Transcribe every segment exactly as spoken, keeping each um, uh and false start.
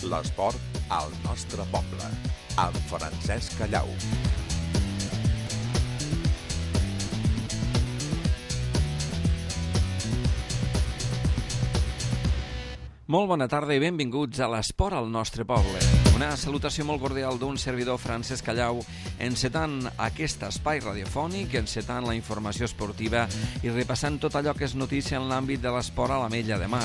L'esport al nostre poble, amb Francesc Callau. Molt bona tarda i benvinguts a l'Esport al nostre poble. Una salutació molt cordial d'un servidor, Francesc Callau, encetant aquest espai radiofònic, encetant la informació esportiva i repassant tot allò que és notícia en l'àmbit de l'esport a l'Ametlla de Mar.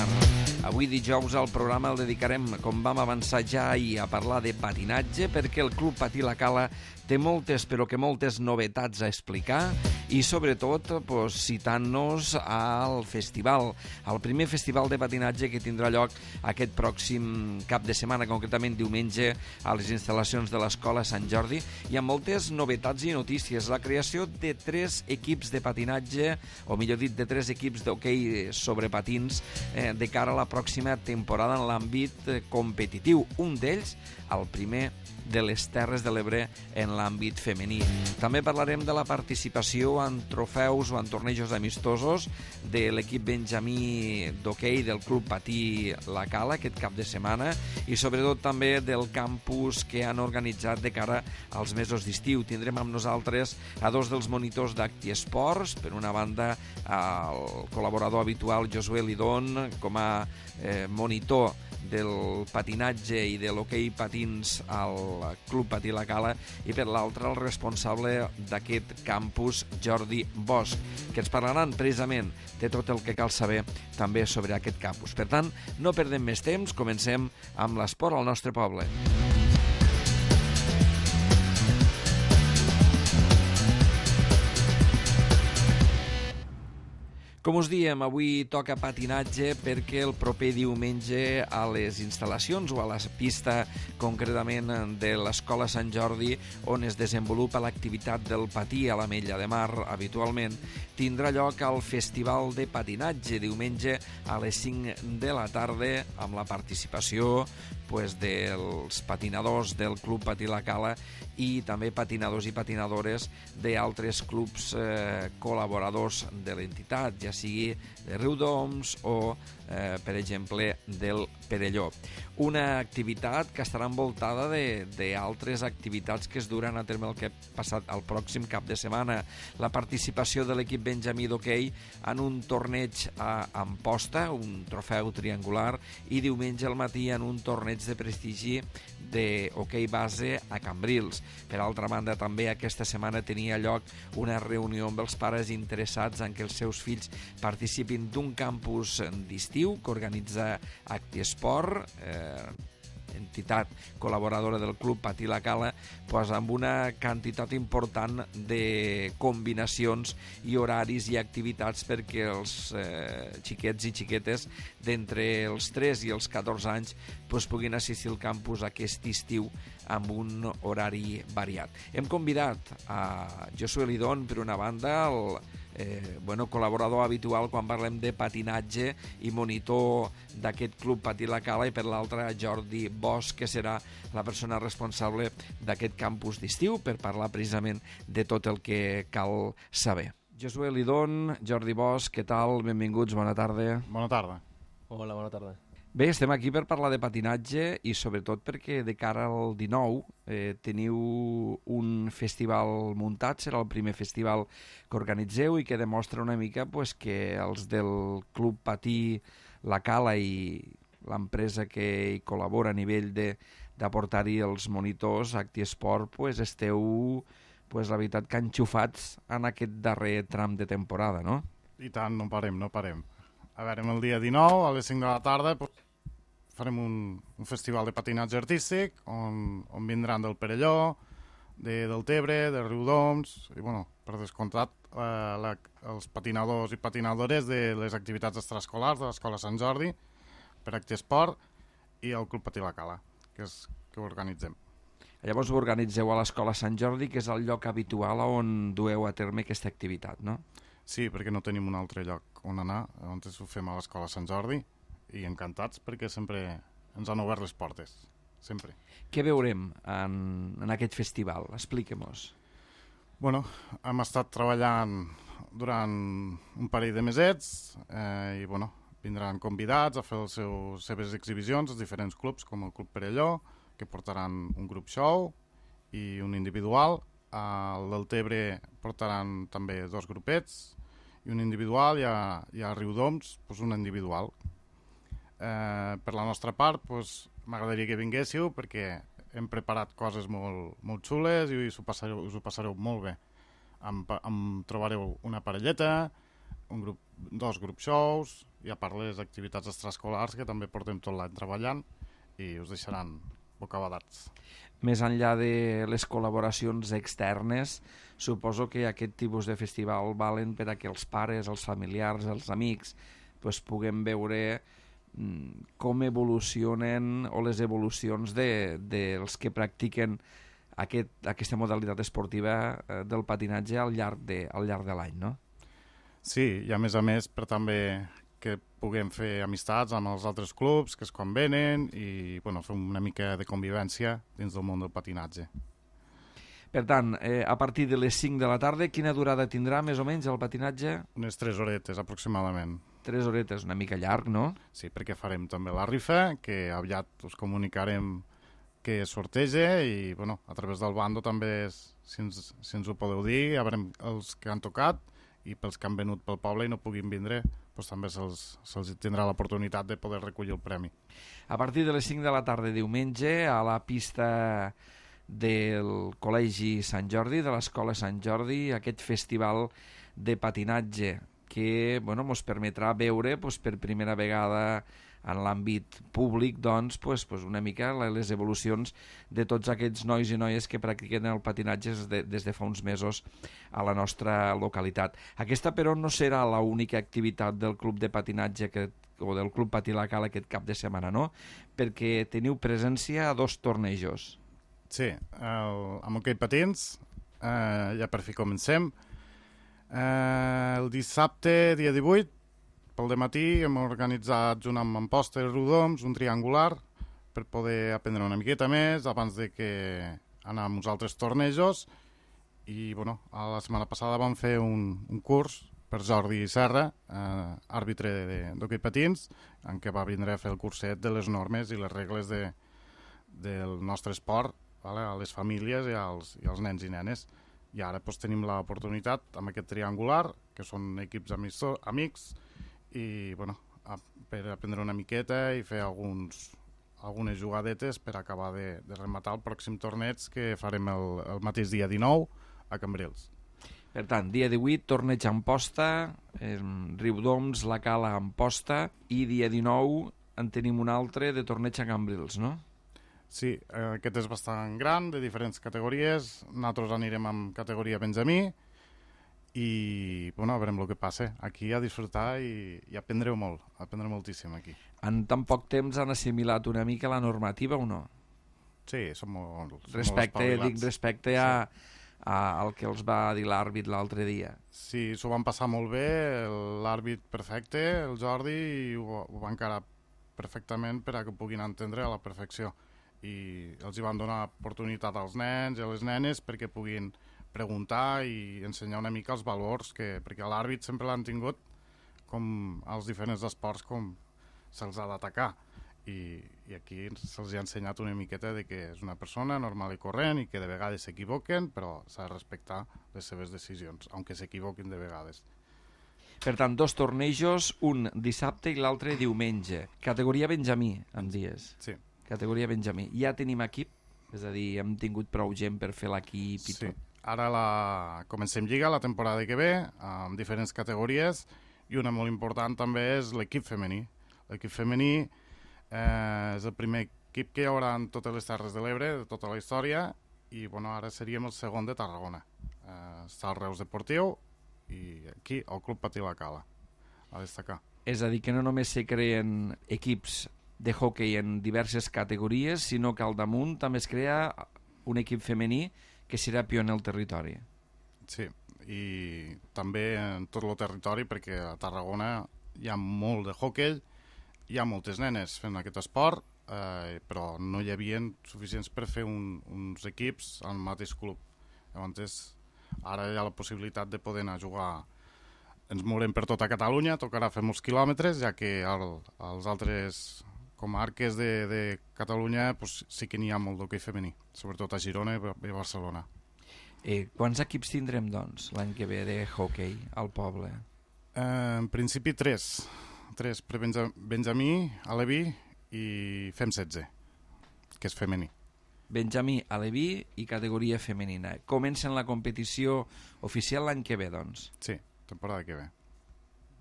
Avui dijous al programa el dedicarem, com vam avançar ja ahir, a parlar de patinatge, perquè el Club Patí La Cala té moltes, però que moltes novetats a explicar i sobretot pues, citant-nos al festival, al primer festival de patinatge que tindrà lloc aquest pròxim cap de setmana, concretament diumenge, a les instal·lacions de l'Escola Sant Jordi, i amb moltes novetats i notícies. La creació de tres equips de patinatge, o millor dit, de tres equips d'hoquei sobre patins eh, de cara a la pròxima temporada en l'àmbit eh, competitiu. Un d'ells, el primer de les Terres de l'Ebre en l'àmbit femení. També parlarem de la participació en trofeus o en tornejos amistosos de l'equip benjamí d'hoquei del Club Patí La Cala aquest cap de setmana i sobretot també del campus que han organitzat de cara als mesos d'estiu. Tindrem amb nosaltres a dos dels monitors d'Acti Esports, per una banda el col·laborador habitual Josué Lidón com a eh, monitor del patinatge i de l'hoquei patins al Club Patí La Cala i per l'altre el responsable d'aquest campus, Jordi Bosch, que ens parlaran precisament de tot el que cal saber també sobre aquest campus. Per tant, no perdem més temps, comencem amb l'esport al nostre poble. Com us diem, avui toca patinatge perquè el proper diumenge a les instal·lacions o a la pista concretament de l'Escola Sant Jordi on es desenvolupa l'activitat del patí a l'Ametlla de Mar habitualment, tindrà lloc el Festival de Patinatge diumenge a les cinc de la tarda amb la participació pues, dels patinadors del Club Patí La Cala i també patinadors i patinadores d'altres clubs eh, col·laboradors de l'entitat, ja sigui de Riudoms o, eh, per exemple, del Perelló. Una activitat que estarà envoltada d'altres activitats que es duran a terme el que ha passat el pròxim cap de setmana. La participació de l'equip benjamí d'hoquei en un torneig a Amposta, un trofeu triangular, i diumenge al matí en un torneig de prestigi d'hoquei base a Cambrils. Per altra banda, també aquesta setmana tenia lloc una reunió amb els pares interessats en que els seus fills participin d'un campus d'estiu que organitza Acti Esport, eh, entitat col·laboradora del Club Patí La Cala, pues amb una quantitat important de combinacions i horaris i activitats perquè els eh, xiquets i xiquetes d'entre els tres i els catorze anys pues, puguin assistir al campus aquest estiu amb un horari variat. Hem convidat a Josué Lidón, per una banda, el Eh, bueno, col·laborador habitual quan parlem de patinatge i monitor d'aquest Club Patí La Cala, i per l'altra Jordi Bosch, que serà la persona responsable d'aquest campus d'estiu per parlar precisament de tot el que cal saber. Josué Lidón, Jordi Bosch, què tal? Benvinguts, bona tarda. Bona tarda. Hola, bona tarda. Bé, estem aquí per parlar de patinatge i sobretot perquè de cara al dinou eh, teniu un festival muntat, serà el primer festival que organitzeu i que demostra una mica pues, que els del Club Patí La Cala i l'empresa que hi col·labora a nivell d'aportar-hi els monitors Acti Esport pues, esteu, pues, la veritat, que enxufats en aquest darrer tram de temporada, no? I tant, no parem, no parem. A veure, el dia dinou, a les cinc de la tarda, pues, farem un, un festival de patinatge artístic on, on vindran del Perelló, de, del Tebre, de Riudoms, i, bueno, per descomptat, eh, la, els patinadors i patinadores de les activitats extraescolars de l'Escola Sant Jordi, per Acti Esport, i el Club Patí La Cala, que és que ho organitzem. Llavors ho organitzeu a l'Escola Sant Jordi, que és el lloc habitual on dueu a terme aquesta activitat, no? Sí, perquè no tenim un altre lloc on anar, on ho fem a l'Escola Sant Jordi, i encantats perquè sempre ens han obert les portes, sempre. Què veurem en, en aquest festival? Expliquem-nos. Bueno, hem estat treballant durant un parell de mesets eh, i bueno, vindran convidats a fer les seus, seves exhibicions als diferents clubs, com el Club Perelló, que portaran un grup show i un individual. Al Deltebre portaran també dos grupets i un individual, i a, i a Riudoms pues, un individual. Eh, per la nostra part, pues, m'agradaria que vinguéssiu perquè hem preparat coses molt, molt xules i us ho passareu, us ho passareu molt bé. Em, em trobareu una parelleta, un grup, dos grup shows i a part les activitats extraescolars que també portem tot l'any treballant i us deixaran bocabadats. Més enllà de les col·laboracions externes, suposo que aquest tipus de festival valen per a que els pares, els familiars, els amics pues, puguem veure mm, com evolucionen o les evolucions de, dels que practiquen aquest, aquesta modalitat esportiva eh, del patinatge al llarg de, al llarg de l'any, no? Sí, i a més a més per també que puguem fer amistats amb els altres clubs que es convenen i bueno, fer una mica de convivència dins del món del patinatge. Per tant, eh, a partir de les cinc de la tarda, quina durada tindrà més o menys el patinatge? Unes tres horetes aproximadament. Tres horetes, una mica llarg, no? Sí, perquè farem també la rifa, que aviat us comunicarem que es sorteja i bueno, a través del bando també, és, si, ens, si ens ho podeu dir, ja veurem els que han tocat i pels que han venut pel poble i no puguin vindre, doncs també se'ls se tindrà l'oportunitat de poder recollir el premi. A partir de les cinc de la tarda diumenge, a la pista del Col·legi Sant Jordi, de l'Escola Sant Jordi, aquest festival de patinatge que bueno, ens permetrà veure pues, per primera vegada en l'àmbit públic doncs, pues, pues una mica les evolucions de tots aquests nois i noies que practiquen el patinatge des de, des de fa uns mesos a la nostra localitat. Aquesta, però, no serà l'única activitat del club de patinatge que, o del club Patí la Cala aquest cap de setmana, no? Perquè teniu presència a dos tornejos. Sí, el, amb hoquei patins, eh, ja per fi comencem. Eh, el dissabte, dia divuit, pel dematí hem organitzat junt amb Amposta i Riudoms un triangular per poder aprendre una miqueta més abans de que anar a uns altres tornejos i bueno, a la setmana passada vam fer un, un curs per Jordi Serra, eh, àrbitre d'hoquei patins, en què va vindre a fer el curset de les normes i les regles de, del nostre esport, vale? A les famílies i als, i als nens i nenes. I ara doncs, tenim l'oportunitat amb aquest triangular, que són equips amics, amics i bueno, a, per aprendre una miqueta i fer alguns, algunes jugadetes per acabar de, de rematar el pròxim torneig que farem el, el mateix dia dinou a Cambrils. Per tant, dia divuit, torneig a Amposta, eh, Riudoms, la Cala a Amposta, i dia dinou en tenim un altre de torneig a Cambrils, no? Sí, eh, aquest és bastant gran, de diferents categories. Nosaltres anirem amb categoria Benjamí i bueno, veurem el que passa. Aquí a disfrutar i, i aprendreu molt, aprendreu moltíssim aquí. En tan poc temps han assimilat una mica la normativa o no? Sí, som molt, som respecte, molt dic, respecte a, a, al que els va dir l'àrbit l'altre dia. Sí, s'ho van passar molt bé, l'àrbit perfecte, el Jordi, i ho, ho va encarar perfectament per a que puguin entendre a la perfecció. I els hi van donar oportunitat als nens i a les nenes perquè puguin preguntar i ensenyar una mica els valors, que, perquè l'àrbit sempre l'han tingut com als diferents esports com se'ls ha d'atacar. I, i aquí se'ls ha ensenyat una miqueta de que és una persona normal i corrent i que de vegades s'equivoquen, però s'ha de respectar les seves decisions, aunque s'equivoquin de vegades. Per tant, dos tornejos, un dissabte i l'altre diumenge. Categoria Benjamí, em dies. Sí. Categoria Benjamí. Ja tenim equip? És a dir, hem tingut prou gent per fer l'equip i sí. tot? Ara la... comencem Lliga la temporada que ve, amb diferents categories, i una molt important també és l'equip femení. L'equip femení eh, és el primer equip que hi haurà en totes les Terres de l'Ebre, de tota la història, i bueno, ara seríem el segon de Tarragona. Eh, està el Reus Deportiu i aquí el Club Patí la Cala, a destacar. És a dir, que no només se creen equips de hoquei en diverses categories, sinó que al damunt també es crea un equip femení que serà pioner al territori. Sí, i també en tot el territori, perquè a Tarragona hi ha molt de hoquei, hi ha moltes nenes fent aquest esport, eh, però no hi havia suficients per fer un, uns equips al mateix club. Llavors, ara hi ha la possibilitat de poder anar a jugar ens mourem per tota Catalunya, tocarà fer molts quilòmetres, ja que el, els altres comarques de, de Catalunya pues, sí que n'hi ha molt d'hoquei femení, sobretot a Girona i a Barcelona. Eh, quants equips tindrem, doncs, l'any que ve de hoquei al poble? Eh, en principi tres. Tres per Benja, Benjamí, Aleví i Fem setze, que és femení. Benjamí, Aleví i categoria femenina. Comencen la competició oficial l'any que ve, doncs? Sí, temporada que ve.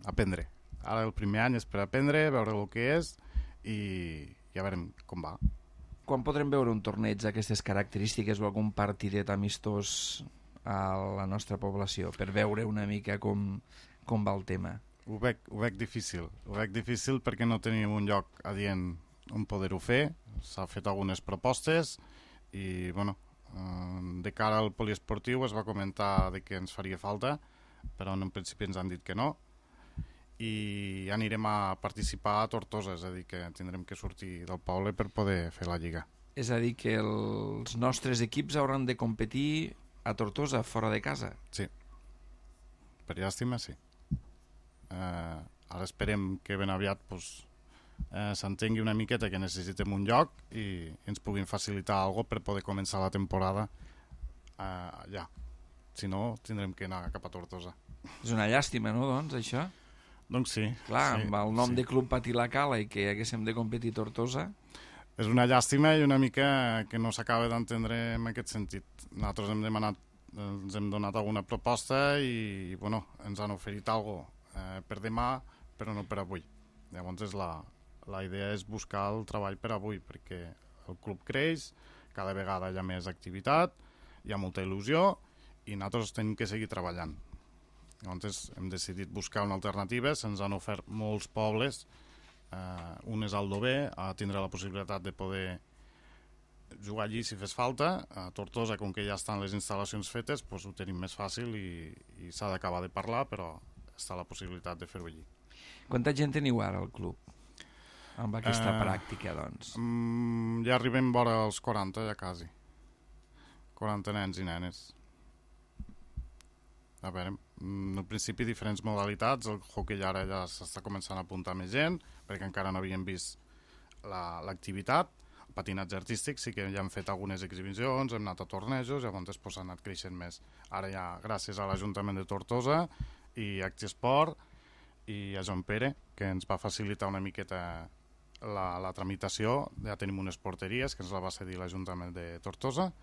Aprendre. Ara el primer any és per aprendre, veure el que és i ja veurem com va. Quan podrem veure un torneig d'aquestes característiques o algun partidet amistós a la nostra població per veure una mica com, com va el tema? Ho veig, ho veig difícil. Ho veig difícil perquè no tenim un lloc adient on poder-ho fer. S'ha fet algunes propostes i, bueno, de cara al poliesportiu es va comentar de que ens faria falta, però en principi ens han dit que no. I anirem a participar a Tortosa, és a dir, que tindrem que sortir del poble per poder fer la lliga. És a dir, que els nostres equips hauran de competir a Tortosa, fora de casa? Sí. Per llàstima, sí. Eh, ara esperem que ben aviat pues, eh, s'entengui una miqueta que necessitem un lloc i ens puguin facilitar alguna cosa per poder començar la temporada eh, allà. Si no, tindrem que anar cap a Tortosa. És una llàstima, no, doncs, això? Doncs sí. Clar, sí, amb el nom sí. de Club Patí la Cala i que haguéssim de competir a Tortosa... És una llàstima i una mica que no s'acaba d'entendre en aquest sentit. Nosaltres hem demanat, ens hem donat alguna proposta i, bueno, ens han oferit alguna cosa eh, per demà, però no per avui. Llavors és la, la idea és buscar el treball per avui, perquè el club creix, cada vegada hi ha més activitat, hi ha molta il·lusió i nosaltres tenim que seguir treballant. Llavors hem decidit buscar una alternativa, se'ns han ofert molts pobles, eh, un és Aldover, a tindre la possibilitat de poder jugar allí si fes falta, a Tortosa, com que ja estan les instal·lacions fetes, doncs ho tenim més fàcil i, i s'ha d'acabar de parlar, però està la possibilitat de fer-ho allí. Quanta gent teniu ara al club amb aquesta Eh, pràctica, doncs? Mm, ja arribem vora els quaranta, ja quasi. quaranta nens i nenes. A veure, en principi diferents modalitats, el hoquei ara ja s'està començant a apuntar més gent, perquè encara no havíem vist l'activitat. La, el patinatge artístic sí que ja han fet algunes exhibicions, hem anat a tornejos, llavors pues, ha anat creixent més. Ara ja, gràcies a l'Ajuntament de Tortosa i Actiesport i a Joan Pere, que ens va facilitar una miqueta la, la tramitació, ja tenim unes porteries que ens la va cedir l'Ajuntament de Tortosa,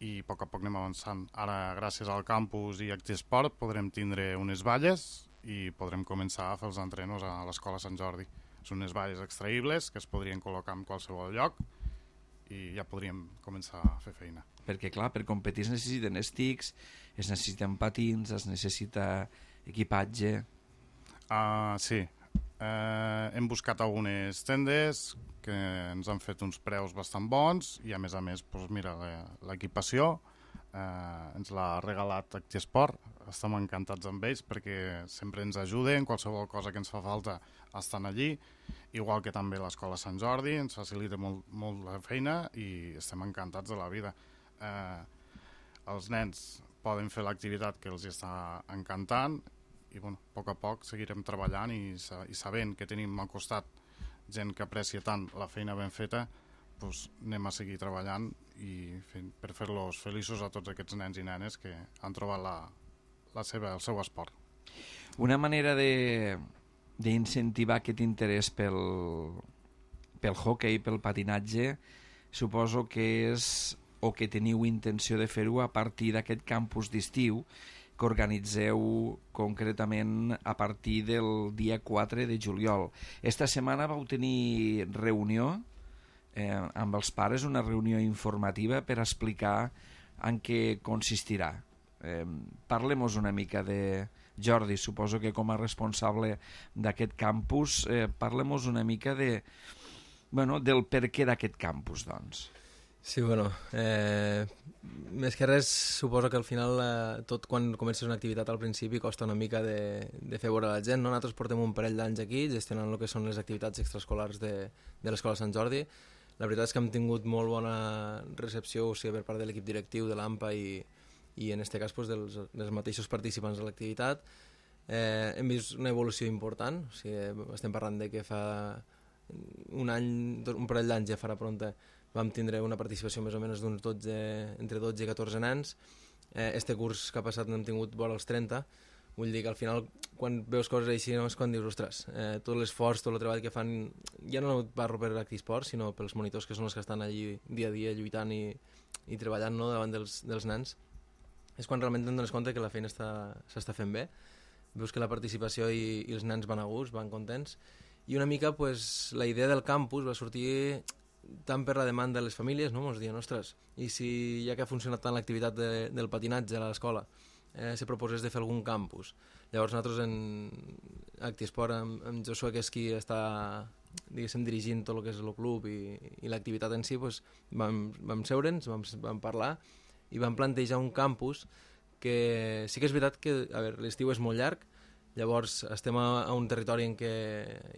i a poc a poc anem avançant. Ara, gràcies al campus i Actiesport, podrem tindre unes valles i podrem començar a fer els entrenos a l'Escola Sant Jordi. Són unes valles extraïbles que es podrien col·locar en qualsevol lloc i ja podríem començar a fer feina. Perquè, clar, per competir es necessiten estics, es necessiten patins, es necessita equipatge... Uh, sí. Uh, hem buscat algunes tendes que ens han fet uns preus bastant bons i a més a més, doncs mira, l'equipació eh, ens l'ha regalat Actiesport. Estem encantats amb ells perquè sempre ens ajuden, qualsevol cosa que ens fa falta estan allí, igual que també l'Escola Sant Jordi ens facilita molt, molt la feina i estem encantats de la vida. Eh, els nens poden fer l'activitat que els està encantant i bueno, a poc a poc seguirem treballant i, i sabent que tenim al costat gent que aprecia tant la feina ben feta, doncs anem a seguir treballant i fent, per fer-los feliços a tots aquests nens i nenes que han trobat la, la seva, el seu esport. Una manera de d'incentivar aquest interès pel, pel hoquei, pel patinatge, suposo que és, o que teniu intenció de fer-ho a partir d'aquest campus d'estiu que organitzeu concretament a partir del dia quatre de juliol. Esta setmana vau tenir reunió eh, amb els pares, una reunió informativa per explicar en què consistirà. Eh, Parlem-nos una mica de... Jordi, suposo que com a responsable d'aquest campus, eh, parlem-nos una mica de, bueno, del perquè d'aquest campus, doncs. Sí, bueno, eh, més que res suposo que al final eh, tot quan comences una activitat al principi costa una mica de, de fer veure a la gent, no? Nosaltres portem un parell d'anys aquí gestionant el que són les activitats extraescolars de, de l'Escola Sant Jordi. La veritat és que hem tingut molt bona recepció, o sigui, per part de l'equip directiu de l'AMPA i, i en aquest cas pues, dels, dels mateixos participants de l'activitat. eh, hem vist una evolució important, o sigui, estem parlant de que fa un any, un parell d'anys ja farà pronta, vam tindre una participació més o menys d'uns dotze, entre dotze i catorze nens. Eh, este curs que ha passat n'hem tingut vora els trenta. Vull dir que al final, quan veus coses així, no és quan dius, ostres, eh, tot l'esforç, tot el treball que fan, ja no parlo per Actisport, sinó pels monitors que són els que estan allí dia a dia lluitant i, i treballant, no?, davant dels, dels nens, és quan realment te'n dones compte que la feina s'està fent bé. Veus que la participació i, i els nens van a gust, van contents, i una mica pues, la idea del campus va sortir tant per la demanda de les famílies, no? Ens diuen, ostres, i si ja que ha funcionat tant l'activitat de, del patinatge a l'escola, eh, se proposés de fer algun campus. Llavors nosaltres en Actisport, amb, amb Josué, que és qui està, diguéssim, dirigint tot el que és el club i, i l'activitat en si, pues, vam, vam seure'ns, vam, vam parlar i vam plantejar un campus que sí que és veritat que l'estiu és molt llarg, llavors estem a, a un territori en què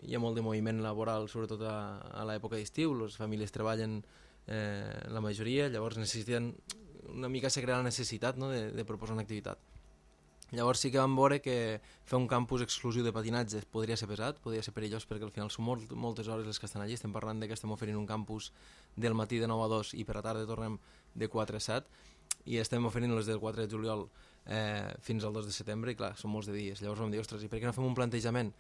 hi ha molt de moviment laboral, sobretot a, a l'època d'estiu, les famílies treballen eh, la majoria, llavors necessiten una mica se crea la necessitat, no?, de, de proposar una activitat. Llavors sí que vam veure que fer un campus exclusiu de patinatge podria ser pesat, podria ser perillós, perquè al final són molt, moltes hores les que estan allí. Estem parlant de que estem oferint un campus del matí de nou a dos i per la tarda tornem de quatre a set, i estem oferint les del quatre de juliol eh, fins al dos de setembre, i clar, són molts de dies. Llavors vam dir, ostres, i per què no fem un plantejament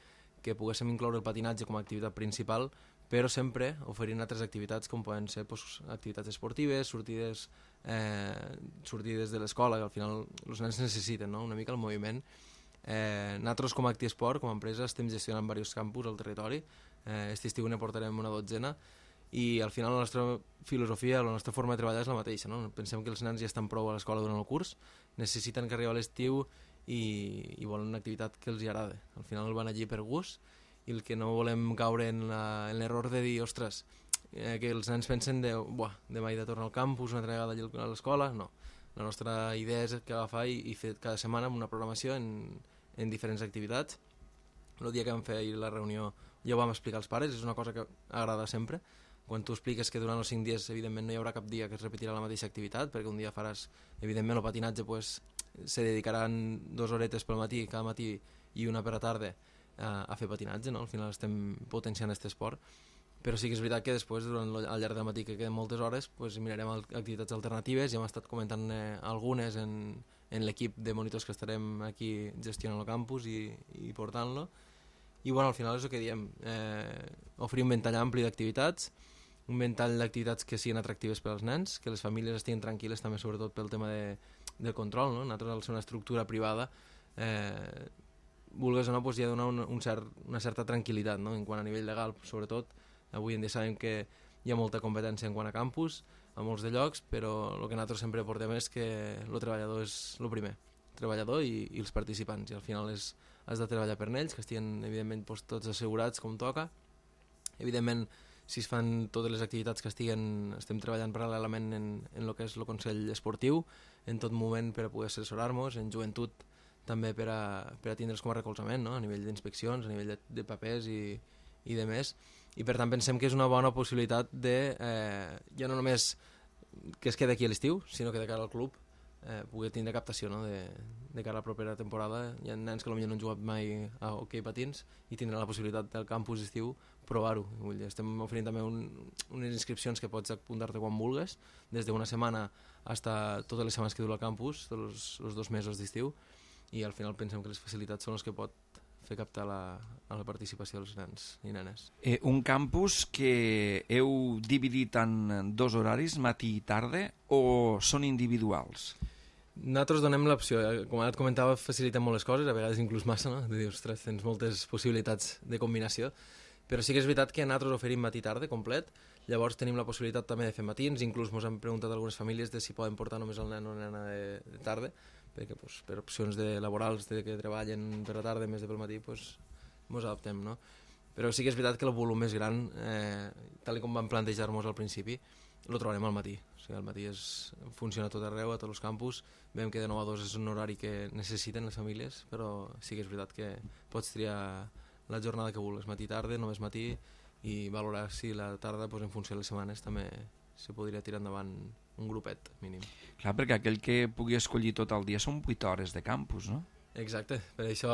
que poguéssim incloure el patinatge com a activitat principal, però sempre oferint altres activitats com poden ser pues, activitats esportives, sortides, eh, sortides de l'escola, que al final els nens necessiten, no?, una mica el moviment. Eh, nosaltres com a Actisport, com a empresa, estem gestionant diversos campus al territori, eh, aquest estiu ne portarem una dotzena, i al final la nostra filosofia, la nostra forma de treballar és la mateixa, no? Pensem que els nens ja estan prou a l'escola durant el curs, necessiten que arribi a l'estiu i, i volen una activitat que els hi agrada. Al final van allí per gust, i el que no volem caure en l'error de dir, ostres, eh, que els nens pensen de, buah, demà he de tornar al campus, una altra vegada a l'escola, no. La nostra idea és que agafar i, i fer cada setmana una programació en, en diferents activitats. El dia que vam fer la reunió ja ho vam explicar als pares, és una cosa que agrada sempre. Quan tu expliques que durant els cinc dies, evidentment, no hi haurà cap dia que es repetirà la mateixa activitat, perquè un dia faràs, evidentment, el patinatge, pues, se dedicaran dues horetes pel matí, cada matí, i una per la tarda, a, a fer patinatge, no? Al final estem potenciant aquest esport, però sí que és veritat que després, durant el, al llarg del matí, que queden moltes hores, pues, mirarem activitats alternatives, i hem estat comentant eh, algunes en, en l'equip de monitors que estarem aquí gestionant el campus i, i portant-lo, i bueno, al final és el que diem, eh, oferir un ventall ampli d'activitats, un ventall d'activitats que siguin atractives per als nens, que les famílies estiguin tranquil·les també, sobretot pel tema de, del control, no? Nosaltres, al ser una estructura privada, eh, vulgues o no, pues, hi ha de donar un, un cert, una certa tranquil·litat, no? En quant a nivell legal, sobretot. Avui en dia sabem que hi ha molta competència en quant a campus, a molts de llocs, però el que nosaltres sempre portem és que el treballador és el primer, el treballador i, i els participants, i al final és, has de treballar per ells, que estiguin, evidentment, pues, tots assegurats com toca. Evidentment, si es fan totes les activitats que estiguen, estem treballant paral·lelament en, en el que és el Consell Esportiu, en tot moment per a poder assessorar-nos, en joventut també per a, per a tindre's com a recolzament, no? A nivell d'inspeccions, a nivell de, de papers i, i de més, i per tant pensem que és una bona possibilitat de, eh, ja no només que es quedi aquí a l'estiu, sinó que de cara al club eh, pugui tindre captació, no? de, de cara a la propera temporada. Hi ha nens que potser no han jugat mai a hoquei patins i tindran la possibilitat del campus estiu provar-ho. Estem oferint també un, unes inscripcions que pots apuntar-te quan vulgues, des d'una setmana fins a totes les setmanes que dura el campus, tots els, els dos mesos d'estiu, i al final pensem que les facilitats són les que pot fer captar la, a la participació dels nens i nenes. Eh, un campus que heu dividit en dos horaris, matí i tarda, o són individuals? Nosaltres donem l'opció, com ara et comentava, facilitem molt les coses, a vegades inclús massa, no? De dir, ostres, tens moltes possibilitats de combinació, però sí que és veritat que nosaltres oferim matí i tarda complet, llavors tenim la possibilitat també de fer matins, inclús ens han preguntat algunes famílies de si poden portar només el nen o nena de, de tarda, perquè pues, per opcions de laborals de que treballen per la tarda més de pel matí pues, ens adaptem, no? Però sí que és veritat que el volum més gran, eh, tal com vam plantejar-nos al principi, el trobarem al matí. O sigui, al matí és, funciona tot arreu, a tots els campus. Veiem que de nou a dos és un horari que necessiten les famílies, però sí que és veritat que pots triar la jornada que vulguis, matí, tarda, només matí, i valorar si la tarda, pues, en funció de les setmanes, també se podria tirar endavant un grupet mínim. Clar, perquè aquell que pugui escollir tot el dia són vuit hores de campus, no? Exacte, per això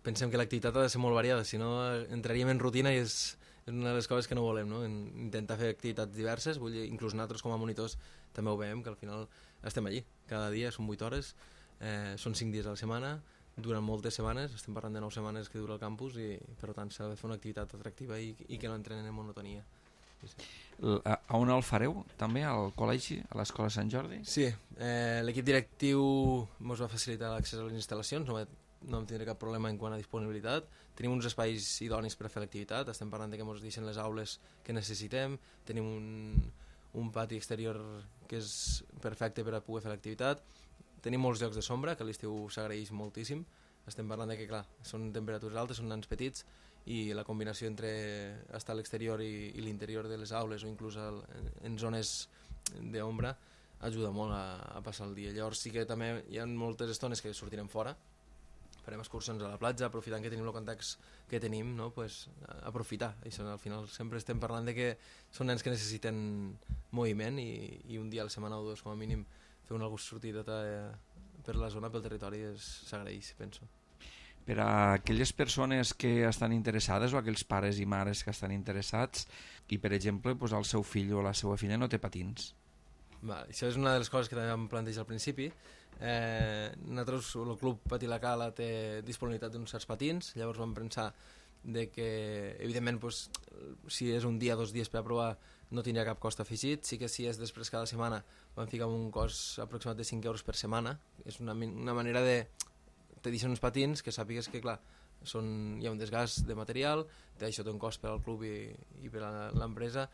pensem que l'activitat ha de ser molt variada, si no entraríem en rutina i és, és una de les coses que no volem, no? Intentar fer activitats diverses, vull dir, inclús nosaltres com a monitors també ho veiem, que al final estem allí, cada dia, són vuit hores, eh, són cinc dies a la setmana, durant moltes setmanes, estem parlant de nou setmanes que dura el campus i per tant s'ha de fer una activitat atractiva i, i que no entrenen en monotonia. Sí, sí. A, a on el fareu, també, al col·legi, a l'Escola Sant Jordi? Sí, eh, l'equip directiu ens va facilitar l'accés a les instal·lacions, no, no vam tindre cap problema en quant a disponibilitat, tenim uns espais idonis per a fer l'activitat, estem parlant de que ens deixen les aules que necessitem, tenim un, un pati exterior que és perfecte per a poder fer l'activitat, tenim molts llocs de sombra, que a l'estiu s'agraeix moltíssim, estem parlant de que, clar, són temperatures altes, són nans petits, i la combinació entre estar a l'exterior i, i l'interior de les aules o inclús el, en zones d'ombra ajuda molt a, a passar el dia. Llavors sí que també hi ha moltes estones que sortirem fora, farem excursions a la platja, aprofitant que tenim el context que tenim, no? Pues, aprofitar. Això, al final sempre estem parlant de que són nens que necessiten moviment i, i un dia a la setmana o dos com a mínim fer una sortideta per la zona, pel territori, s'agraeix, penso. Per a aquelles persones que estan interessades o aquells pares i mares que estan interessats i, per exemple, pues, el seu fill o la seva filla no té patins. Va, això és una de les coses que també vam plantejar al principi. Eh, nosaltres, el club Patí la Cala té disponibilitat d'uns certs patins, llavors vam pensar de que, evidentment, pues, si és un dia, dos dies per a provar, no tindria cap cost afegit. Sí que si és després cada setmana vam ficar un cost aproximat de cinc euros per setmana. És una, una manera de... te deixen uns patins que sàpigues que, clar, són, hi ha un desgast de material, això té un cost per al club i, i per a l'empresa,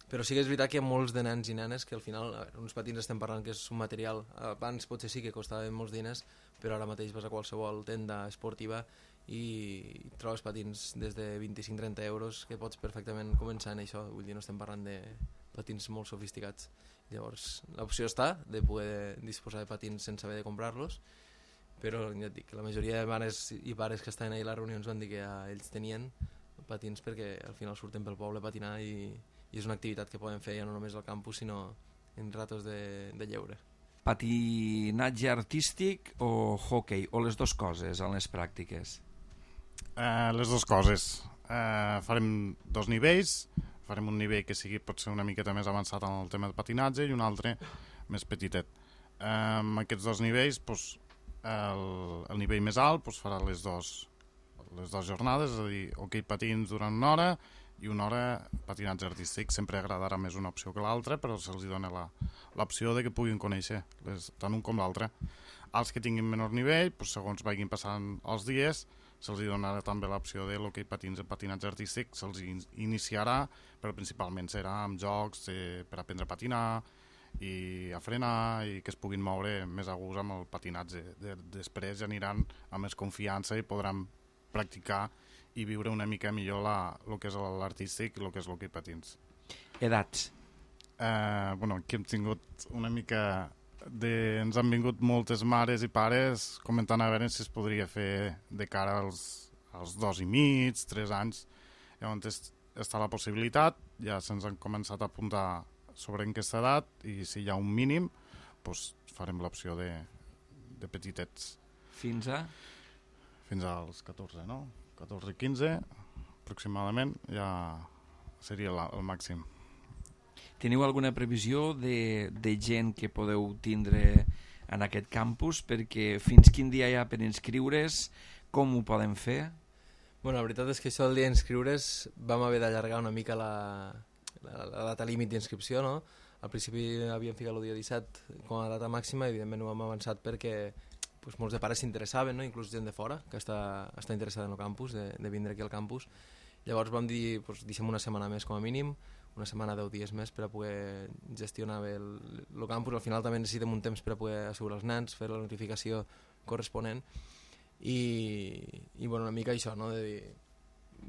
però sí que és veritat que hi ha molts de nens i nenes que al final, a veure, uns patins estem parlant que és un material, abans potser sí que costaven molts diners, però ara mateix vas a qualsevol tenda esportiva i trobes patins des de vint-i-cinc a trenta euros que pots perfectament començar en això, vull dir, no estem parlant de patins molt sofisticats. Llavors, l'opció està de poder disposar de patins sense haver de comprar-los, però ja et dic, la majoria de mares i pares que estaven ahir a les reunions van dir que ja ells tenien patins perquè al final surten pel poble a patinar i, i és una activitat que poden fer ja no només al campus sinó en ratos de, de lleure. Patinatge artístic o hockey, o les dues coses en les pràctiques? Eh, les dues coses. Eh, farem dos nivells, farem un nivell que sigui potser una miqueta més avançat en el tema de patinatge i un altre més petitet. Eh, amb aquests dos nivells, doncs, El, el nivell més alt pues, farà les dues les dues jornades, és a dir, hoquei patins durant una hora i una hora patinatge artístic. Sempre agradarà més una opció que l'altra, però se'ls dona l'opció de que puguin conèixer les, tant un com l'altre. Als que tinguin menor nivell, pues, segons vagin passant els dies, se'ls donarà també l'opció de l'hoquei patins i patinatge artístic, se'ls iniciarà, però principalment serà amb jocs de, per aprendre a patinar, i a frenar i que es puguin moure més a gust amb el patinatge. De, després ja aniran amb més confiança i podran practicar i viure una mica millor la, el que és l'artístic i el que és l'hoquei patins. Edats? Eh, bueno, aquí hem tingut una mica de... Ens han vingut moltes mares i pares comentant a veure si es podria fer de cara als, als dos i mig, tres anys. Llavors està la possibilitat, ja se'ns han començat a apuntar sobre aquesta edat i si hi ha un mínim doncs farem l'opció de, de petitets. Fins a? Fins als catorze, no? catorze i quinze aproximadament ja seria la, el màxim. Teniu alguna previsió de, de gent que podeu tindre en aquest campus? Perquè fins quin dia hi ha per inscriure's? Com ho podem fer? Bueno, la veritat és que això del dia d'inscriure's vam haver d'allargar una mica la... la data límit d'inscripció, no? Al principi havíem ficat el dia disset com a data màxima i evidentment ho hem avançat perquè pues, molts de pares s'interessaven, no? Inclús gent de fora que està, està interessada en el campus, de, de vindre aquí al campus. Llavors vam dir, pues, deixem una setmana més com a mínim, una setmana, deu dies més per a poder gestionar bé el, el campus. Al final també necessitem un temps per a poder assegurar els nens, fer la notificació corresponent i, i bueno, una mica això, no? De dir,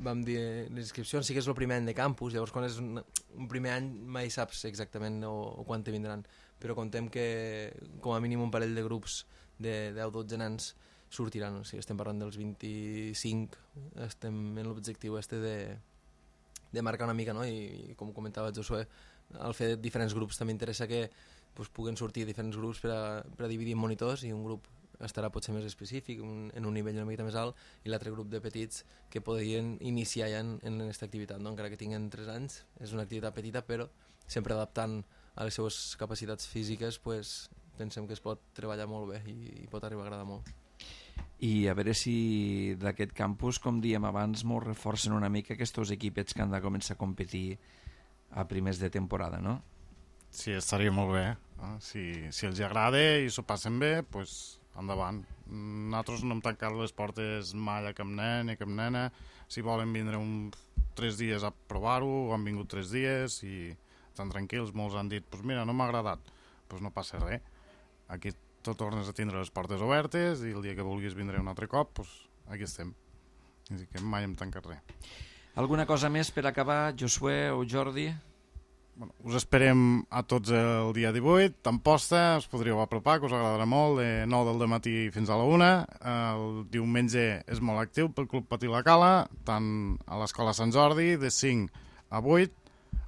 vam dir, les inscripcions sí que és el primer any de campus, llavors quan és un, un primer any mai saps exactament o, o quan te vindran, però contem que com a mínim un parell de grups de deu o dotze nens sortiran, o sigui, estem parlant dels vint-i-cinc, estem en l'objectiu este de, de marcar una mica, no? I, i com comentava Josué, al fer diferents grups també interessa que pues, puguen sortir diferents grups per a, per a dividir en monitors i un grup estarà potser més específic, un, en un nivell una mica més alt, i l'altre grup de petits que podrien iniciar ja en, en aquesta activitat, no? Encara que tinguin tres anys, és una activitat petita, però sempre adaptant a les seves capacitats físiques, pues, pensem que es pot treballar molt bé i, i pot arribar a agradar molt. I a veure si d'aquest campus, com diem abans, molt reforcen una mica aquests dos equipets que han de començar a competir a primers de temporada, no? Sí, estaria molt bé. Eh? Si, si els agrada i s'ho passen bé, doncs pues, endavant. Nosaltres no hem tancat les portes mai a cap nen ni a cap nena. Si volen vindre un, tres dies a provar-ho, han vingut tres dies i estan tranquils. Molts han dit, pues mira, no m'ha agradat. Doncs no passa res. Aquí tot tornes a tindre les portes obertes i el dia que vulguis vindre un altre cop, doncs aquí estem. Així que mai hem tancat res. Alguna cosa més per acabar, Josué o Jordi? Bueno, us esperem a tots el dia divuit, d'Amposta, us podríeu apropar, que us agradarà molt, de nou del matí fins a la una. El diumenge és molt actiu pel Club Patí La Cala, tant a l'Escola Sant Jordi, de cinc a vuit.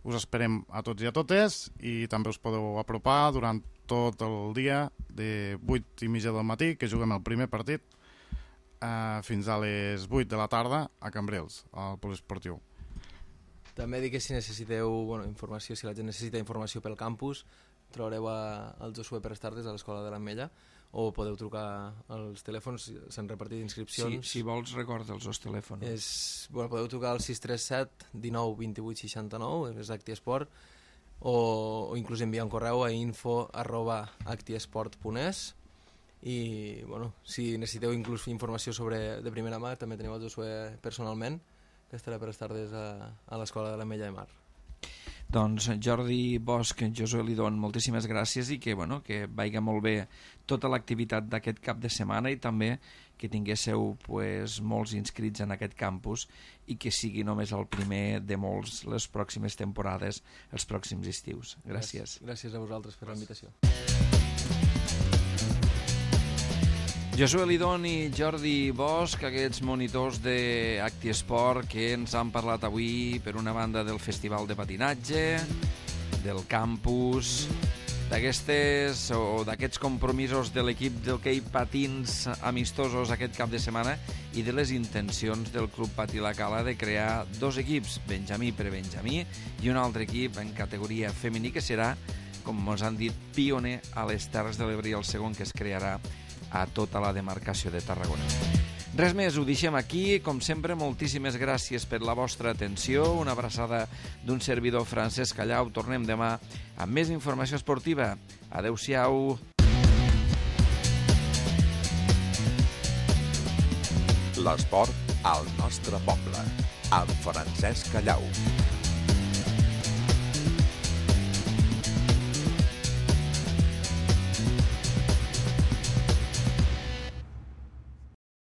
Us esperem a tots i a totes i també us podeu apropar durant tot el dia, de vuit i mitja del matí, que juguem el primer partit, eh, fins a les vuit de la tarda a Cambrils, al poliesportiu. També dic que si necessiteu bueno, informació, si la gent necessita informació pel campus, trobareu a, al Josué Pérez Tardes a l'Escola de l'Ametlla, o podeu trucar als telèfons, s'han repartit inscripcions. Si, si vols, recorda'ls els telèfons. És, bueno, podeu trucar al sis tres set dinou vint-i-vuit seixanta-nou, és ActiEsport, o, o inclús enviar un correu a info arroba actiesport punt es, i bueno, si necessiteu inclús informació sobre de primera mà, també teniu el Josué personalment, que estarà per tardes a, a l'Escola de l'Ametlla de Mar. Doncs Jordi Bosch, Josué Lidón, moltíssimes gràcies i que, bueno, que vagi molt bé tota l'activitat d'aquest cap de setmana i també que tinguéssiu pues, molts inscrits en aquest campus i que sigui només el primer de molts les pròximes temporades, els pròxims estius. Gràcies. Gràcies a vosaltres per la invitació. Josué Lidón i Jordi Bosch, aquests monitors d'ActiEsport que ens han parlat avui, per una banda, del Festival de Patinatge, del campus, d'aquestes o d'aquests compromisos de l'equip d'hoquei patins amistosos aquest cap de setmana i de les intencions del Club Patí La Cala de crear dos equips, Benjamí per Benjamí i un altre equip en categoria femení que serà, com ens han dit, pioner a les Terres de l'Ebre i el segon que es crearà a tota la demarcació de Tarragona. Res més, ho deixem aquí. Com sempre, moltíssimes gràcies per la vostra atenció. Una abraçada d'un servidor, Francesc Callau. Tornem demà amb més informació esportiva. Adéu-siau. L'esport al nostre poble, amb Francesc Callau.